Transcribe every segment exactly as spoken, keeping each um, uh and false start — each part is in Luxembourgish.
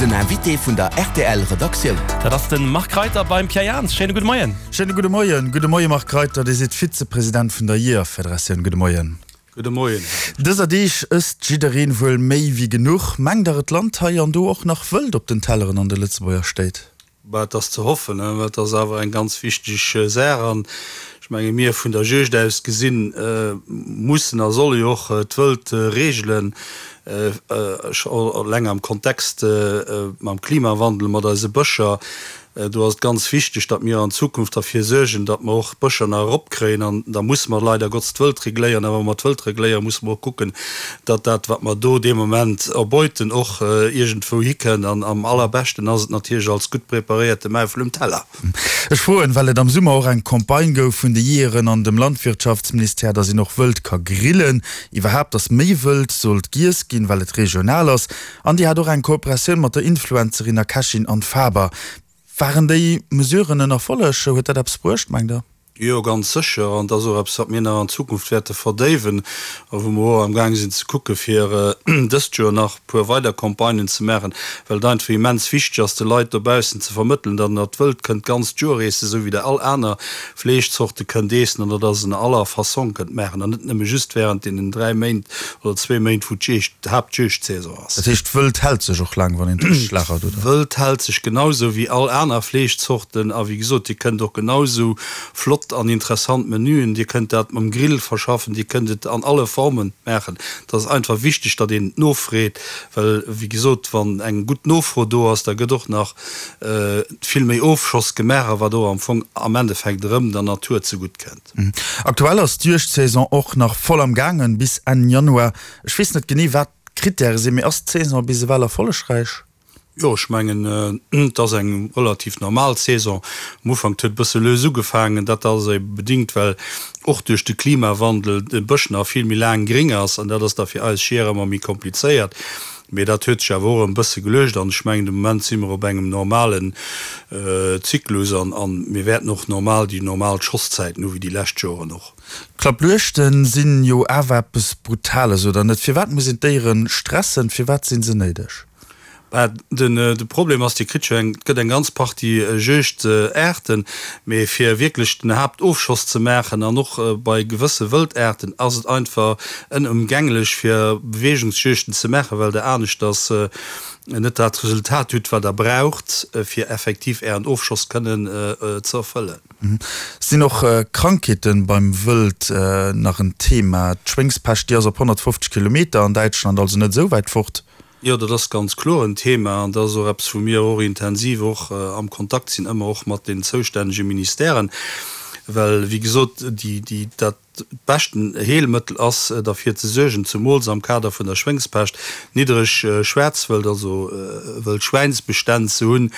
Den Invité vun der R T L Redaktioun. Dat ass de Marc Reiter beim Pierre Jans. Schéine gudde Moien. Schéine gudde Moien. Gudde Moie Marc Reiter, Dir sidd Vizepresident vun der Jeeërfederatioun. Gudde Moien. Gudde Moien. Dëser Deeg ësst jiddereen wuel méi wéi genuch. Mengt Der et lant hei an do och nach Wëld op den Telleren an de Lëtzebuerger Stéit? Bah, et ass ze hoffen, well et ass awer eng ganz wichteg Saach an ech menge mir vun der Juegd aus gesinn mussen a solle jo och d'Wëld regelen, eleng am Kontext mam Klimawandel, mat eise Bëscher. Do ass et ganz wichteg, datt mir an Zukunft derfir suergen, datt mer och d'Bëscher nach eropkréien. An da musse mer leider Gottes d'Wëld regléieren. A wa mer d'Wëld regléieren, musse mer och kucken, datt dat, wat mer do dee Moment erbeuten, och iergendwou hikënnt. An am allerbeschten ass et natierlech als gutt preparéierte Maufel um Teller. Ech froen, well et am Summer och eng Campagne gouf vun de Jeeëren an dem Landwirtschaftsministère, datt een och Wëld ka grillen, iwwerhaapt datt méi Wëld sollt giess ginn, well et regional ass. An Dir hat och eng Kooperatioun mat der Influencerin a Kächin Anne Faber. Waren déi Mesuren en Erfolleg? Huet dat eppes bruecht, mengt Der? Jo, ganz sécher. An dat ass och eppes, wat mir nach an Zukunft wäerte verdéiwen a wou mer och amgaang sinn ze kucke fir dëst Joer nach e puer weider Campagnen ze maachen, well et einfach immens wichteg ass, de Leit dobaussen ze vermëttelen, datt der d'Wëld kënnt d'ganzt Joer eessen, esou wéi der all aner Fleeschzorte kënnt eessen an datt der se an aller Fassong kënnt maachen an net nëmme just während deenen dräi Méint oder zwee Méint, wou d'Juegd, d'Haaptjuegdsaison ass. Dat heescht, d'Wëld hält sech och laang, wann een et richteg lagert, oder? D'Wëld hält sech genausou wéi all aner Fleeschzorten a wéi gesot, Dir kënnt och genausou flott an interessant Menüen. Dir kënnt dat mam Grill verschaffen, Dir kënnt et an alle Formen maachen. Et ass einfach wichteg, datt een nofreet, well wéi gesot, wann eng gutt Nofro do ass, da gëtt och nach vill méi Ofschoss gemaach, a wat och am Fong am Endeffekt erëm der Natur zegutt kënnt. Aktuell ass d'Juegdsaison och nach voll am gaangen, bis Enn Januar. Ech weess net genee, wat d'Krittäre sinn, mee ass d'Saison bis ewell erfollegräich? Jo, ech mengen, et ass eng relativ normal Saison. Am Ufank, et huet e bësse lues ugefaangen. Dat ass ebe bedingt, well och duerch de Klimawandel de Bësch nach vill méi laang gréng ass an dat ass da fir eis Jeeër ëmmer méi komplizéiert. Mee dat huet sech awer och erëm e bësse geluecht an ech mengen, de Moment si mer op engem normalen Zyklus an mir wäerten och normal déi normal Schosszäiten hu wéi déi lescht Joren och. Klappjuegten sinn jo awer eppes Brutales, oder net? Firwat muss een d'Déieren stressen? Firwat sinn se néideg? Bah, den de Problem ass, Dir kritt jo eng, et gëtt eng ganz Partie Juegdaarten, mee fir wierklech den Haaptofschoss ze maachen an och bei gewësse Wëldaarten ass et einfach ënëmgänglech fir Beweegungsjuegten ze maachen, well Der aneschters net dat Resultat hutt, wat Der braucht, fir effektiv Ären Ofschoss kënnen ze erfëllen. Sinn och Krankheeten beim Wëld nach en Thema? D'Schwéngspescht, déi ass op honnertfofzeg Kilometer an Däitschland, also net esou wäit fort. Jo, dat ass ganz kloer en Thema an dat ass och eppes, wou mir och intensiv och am Kontakt sinn, ëmmer och mat den zoustännege Ministèren, well, wéi gesot, déi, déi, dat beschten Heelmëttel ass, derfir ze suergen, zumools am Kader vun der Schwéngspescht, niddereg Schwaarzwëld, also Wëldschwäinsbestänn ze hunn.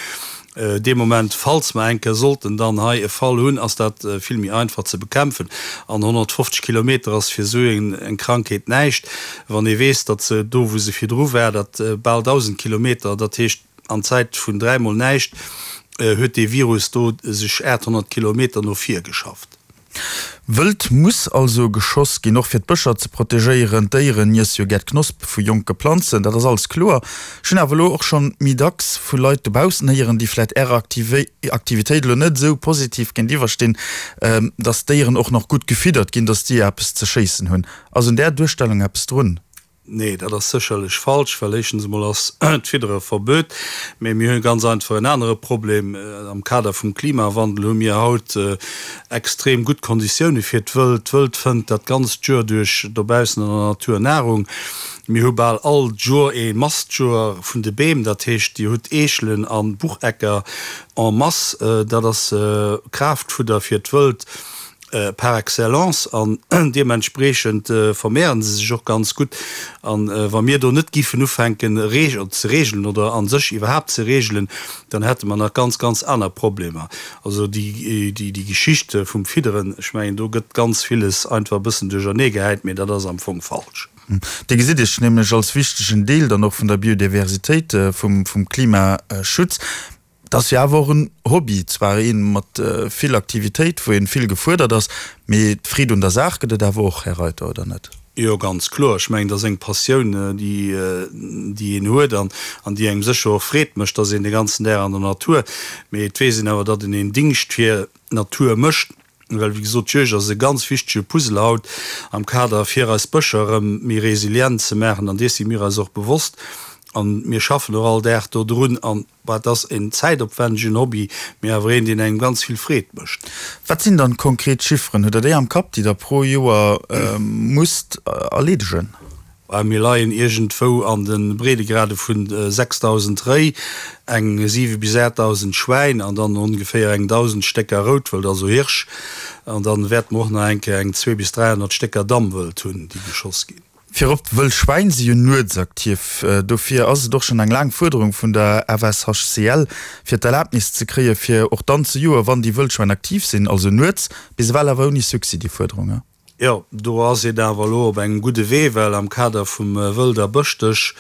Dee Moment, falls mer eng Kéier sollten dann hei e Fall hunn, ass dat vill méi einfach ze bekämpfen. An honnertfofzeg Kilometer ass fir esou eng Krankheet näischt, wann ee weess, datt se do, wou se virdru war, dat bal dausend Kilometer, dat heescht an Zäit vun dräimol näischt, huet dee Virus do sech aathonnert Kilometer no vir geschafft. Wëld muss also geschoss ginn, och fir d'Bëscher ze protegéieren. D'Déieren iesse jo gär d'Knospe vu jonke Planzen, dat ass alles kloer. Ech hunn awer elo och schonn méi dacks vu Leit dobaussen héieren, déi vläit Ärer Aktivitéit elo net esou positiv géintiwwer stinn, dass d'Déieren och nach gutt gefiddert ginn, dass déi eppes ze schéissen hunn. Ass un där Duerstellung eppes drun? Nee, dat ass sécherlech falsch, well éischtens emol ass d'Fiddere verbuet, mee mir hu ganz einfach en anere Problem. Am Kader vum Klimawandel hu mir haut extrem gutt Konditioune fir d'Wëld. D'Wëld fënnt dat ganzt Joer duerch dobaussen an der Natur Nahrung. Mir hu bal all Joer ee Mastjoer vun de Beem, dat heescht, Dir hutt Eechelen a Buchecker en masse. Dat ass Kraaftfudder fir d'Wëld. par excellence an deementspreechend vermehren se sech och ganz gutt. An wa mir do net giffen ufänken ze regelen oder a sech iwwerhaapt ze regelen, dann hätte mer nach ganz, ganz aner Problemer. Also déi Geschicht vum Fidderen, ech mengen do gëtt ganz villes einfach e bëssen duercherneegehäit, mee dat ass am Fong falsch. Dir gesitt Iech nämlech als wichtegen Deel dann och vun der Biodiversitéit, vum Klimaschutz. Et ass jo awer och en Hobby, zwar een mat vill Aktivitéit, wou een vill gefuerdert ass, mee d'Freed un der Saach gëtt et awer och, Här Reiter, oder net? Jo, ganz kloer. Ech mengen, dat ass eng Passioun, déi, déi een huet an, an déi engem sécher och Freed mécht, dass een de ganzen Dag an der Natur. Mee et weess een awer, datt een een Dingscht fir d'Natur mécht, well wéi gesot, d'Juegd ass e ganz wichtege Puzzle haut am Kader fir eis Bëscher erëm méi resilient ze maachen. An dees si mir eis och bewosst an mir schaffen och all Dag do drun. An et ass en zäitopwändegen Hobby, mee awer een, deen engem ganz vill Freed mécht. Wat sinn dann konkret Chifferen? Hutt Der déi am Kapp, déi Der pro Joer musst erleedegen? Mir leien iergendwou an de Breedegrade vu sechsdausend Réi, eng siwe bis aachtdausend Schwäin an dann ongeféier eng dausend Stécker Routwëld, also Hirsch. An dann wäerte mer och nach eng Kéier eng zwee bis dräihonnert Stécker Dammwëld hunn, déi geschoss ginn. Virop, d'wëll Schwäin si jo nuetsaktiv. Dofir ass et och schonn eng laang Fuerderung vun der F S H C L, fir d'Erlaabnis ze kréie fir och dann ze joen, wann déi Wëllschwäin aktiv sinn, also nuets. Bis ewell awer ouni Succès déi Fuerderung. Jo, do ass een awer elo op engem gudde Wee, well am Kader vum Wëld a Bëschdësch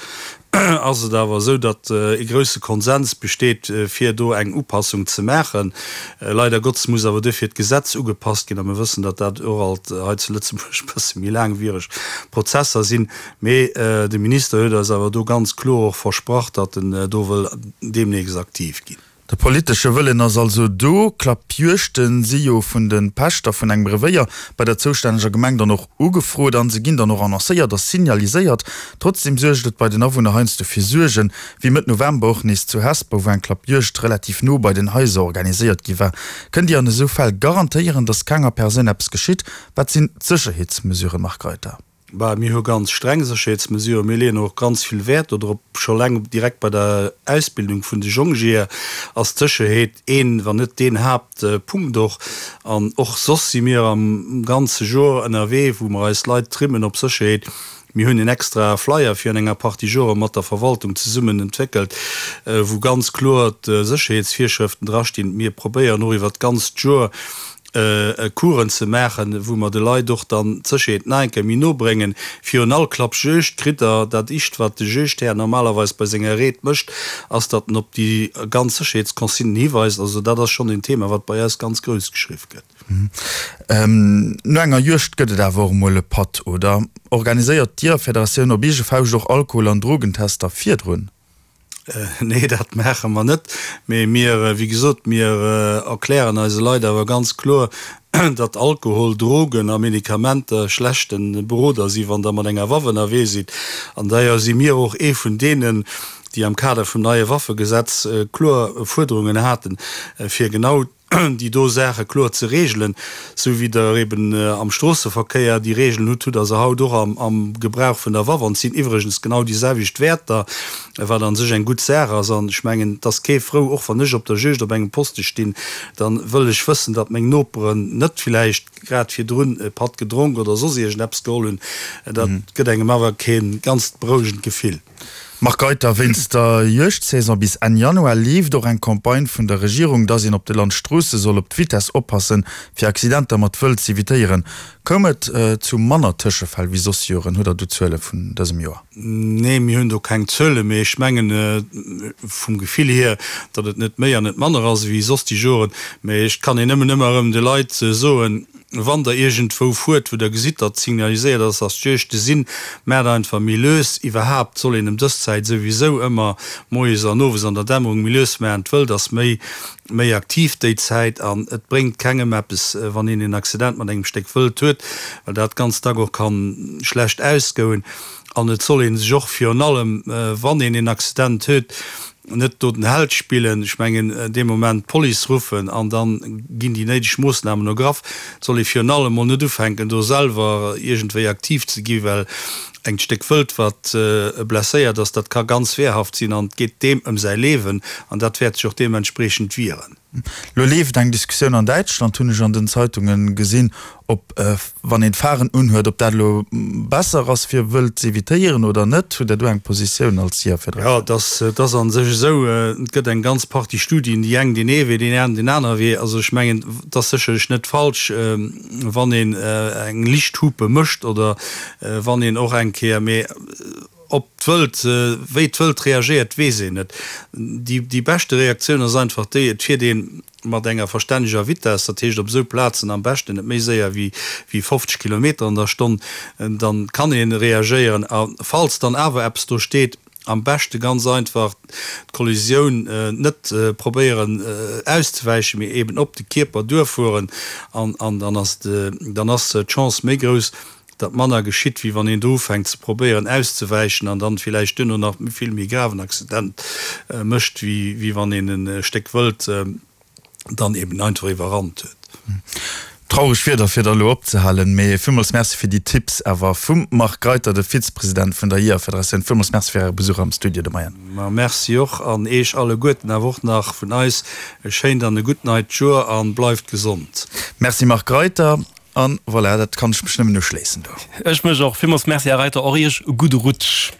ass et awer esou, datt e grousse Konsens besteet, fir do eng Upassung ze maachen. Leider Gottes muss awer duerfir d'Gesetz ugepasst ginn, a mir wëssen, datt dat och alt hei zu Lëtzebuerg e bësse méi laangwiereg Prozesser sinn. Mee de Minister huet eis awer do ganz kloer och versprach, datt en do wëll deemnächst aktiv ginn. De politesche Wëllen ass also do. Klappjuegten si jo vun de Pächter vun engem Revéier bei der zoustänneger Gemeng dann och ugefrot an se ginn dann och annoncéiert a signaliséiert. Trotzdeem suergt et bei den Awunner heiansdo fir Suergen, wéi Mëtt November och nees zu Hesper, wou eng Klappjuegd relativ no bei den Haiser organiséiert gi war. Kënnt Dir an esou Fäll garantéieren, datt kenger Persoun eppes geschitt? Wat sinn d'Sécherheetsmesuren, Marc Reiter? Bah, mir hu ganz streng Sécherheetsmesuren. Mir leeën och ganz vill Wäert dodrop. Scho eleng direkt bei der Ausbildung vun de Jongjeeër ass d'Sécherheet een, wann net deen Haaptpunkt och. An och soss si mir am ganze Joer ënnerwee, wou mer eis Leit trimmen op Sécherheet. Mir hunn en extra Flyer virun enger Partie Jore mat der Verwaltung zesummen entwéckelt, wou ganz kloer d'Sécherheetsvirschrëften drastinn. Mir probéieren och iwwert d'ganzt Joer Coursen ze maachen, wou mer de Leit och dann d'Sécherheet nach eng Kéier méi no bréngen. Virun all Klappjuegd kritt Der dat Ischt, wat de Juegdhär normalerweis bei senger Reed mécht, ass, datt en op déi ganz Sécherheetsconsignen hiweist. Also dat ass schonn en Thema, wat bei eis ganz grouss geschriww gëtt. No enger Juegd gëtt et awer och emol e Patt, oder? Organiséiert d'Jiegerfederatioun op eege Fauscht och Alkohol an Drogentester virdrun? Nee, dat maache mer net. Mee mir, wéi gesot, mir erklären eise Leit awer ganz kloer, datt Alkohol, Drogen a Medikamenter schlechte Beroder si wann Der mat enger Waff ënnerwee sidd. An d'ailleurs si mir och ee vun deenen, déi am Kader vum neie Waffegesetz kloer Fuerderungen haten, fir genau déi do Saache kloer ze regelen, sou wéi Der eben am Stroosseverkéier déi Regelen hutt, hutt Der se haut och am Gebrauch vun der Waff. An et sinn iwwregens genau déi selwecht Wäerter, wat a sech eng gutt Saach ass. An ech mengen, et ass kee frou, och wann ech op der Juegd op engem Poste stinn, da wëll ech wëssen, datt meng Noperen net villäicht grad virdrun e Patt gedronk oder soss iergendeppes geholl hunn. Dat gëtt engem awer kee ganzt berouegend Gefill. Marc Reiter, Wéinst der Juegdsaison bis Enn Januar leeft och eng Campagne vun der Regierung, dass een op de Landstroosse soll op d'Vitess oppassen, fir Accidenter mat Wëld z'evitéieren. Koum et zu manner Tëschefäll wéi soss Joren? Hutt Der do Zuele vun dësem Joer? Nee, mir hunn do keng Zuele, mee ech mengen vum Gefill hier, datt et net méi an net manner ass ewéi soss déi Joren. Mee ech kann een nëmmen ëmmer erëm de Leit soen, Wann Der iergendwou fuert, wou Der gesitt, datt signaliséiert ass, datt Juegte sinn, maacht einfach méi lues. Iwwerhaapt soll een ëm dës Zäit souwisou ëmmer moies an owes an der Dämmerung méi lues maachen. D'Wëld ass méi méi aktiv déi Zäit an et bréngt kengem eppes, wann een en Accident mat engem Stéck Wëld huet, well dat ganz dack och kann schlecht ausgoen. An et soll ee sech och virun allem, wann een een Accident huet, net do den Held spillen, ech mengen dee Moment d'Police ruffen an da ginn déi néideg Moossnamen ergraff. Et soll ee virun allem mol net ufänken, do selwer iergendwéi aktiv ze gi, well engt Stéck Wëld, wat blesséiert ass, dat ka ganz wehrhaft sinn an et geet deem ëm säi Liewen an dat wäert sech och deementspreechend wieren. Lo leeft eng Diskussioun an Däitschland, hunn ech an den Zeitunge gesinn, ob, wann een d'Pharen unhuet, ob dat elo besser ass fir Wëld z'evitéieren oder net. Hutt Der do eng Positioun als Jägerfederatioun? Jo, et ass a sech esou, et gëtt eng ganz Partie Studien, déi eng deen ee Wee, déi aner deen anere Wee. Also ech mengen, et ass sécherlech net falsch, wann een eng Lichthupe mécht oder wann een och eng Kéier, mee Ob d'Wëld, wéi d'Wëld reagéiert, weess een net. Déi, déi beschte Reaktioun ass einfach déi, et fiert ee mat enger verstänneger Vitess, dat heescht op esou Plazen am beschten net méi séier wéi, wéi fofzeg Kilometer an der Stonn, dann kann ee reagéieren. A falls dann awer eppes do steet, am beschte ganz einfach d'Kollisioun net probéieren auszewäichen, mee eben op de Kierper duerfueren an, an dann ass, dann ass d'Chance méi grouss, datt manner geschitt, wéi wann een do ufänkt ze probéieren auszewäichen an dann villäicht duerno nach e vill méi graven Accident mécht, wéi wann een e Stéck Wëld dann eben einfach iwwerrannt huet. Traureg Wierder fir da elo opzehalen, mee villmools Merci fir déi Tipps awer vum Marc Reiter, de Vizepresident vun der Jeeërfederatioun. Villmools Merci fir Äre Besuch am Studio de Moien. Ma Merci och an Eech alleguerten awer och nach vun eis e schéint an e gutt neit Joer an bleift gesond. Merci Marc Reiter. An voilà, dat kann ech mech nëmmen uschléissen do. Ech mech och. Villmools Merci Här Reiter, och Iech e gudde Rutsch.